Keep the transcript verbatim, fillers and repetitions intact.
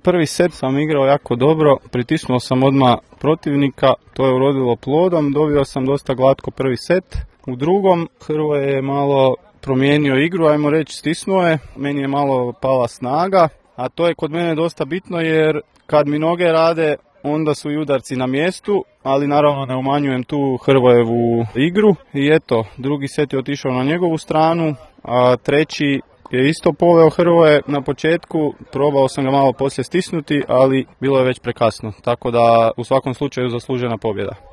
Prvi set sam igrao jako dobro, pritisnuo sam odmah protivnika, to je urodilo plodom, dobio sam dosta glatko prvi set. U drugom Hrvoje je malo promijenio igru, ajmo reći stisnuo je, meni je malo pala snaga, a to je kod mene dosta bitno jer kad mi noge rade onda su i udarci na mjestu, ali naravno ne umanjujem tu Hrvojevu igru i eto, drugi set je otišao na njegovu stranu, a treći je isto poveo Hrvoje na početku, probao sam ga malo poslije stisnuti, ali bilo je već prekasno, tako da u svakom slučaju zaslužena pobjeda.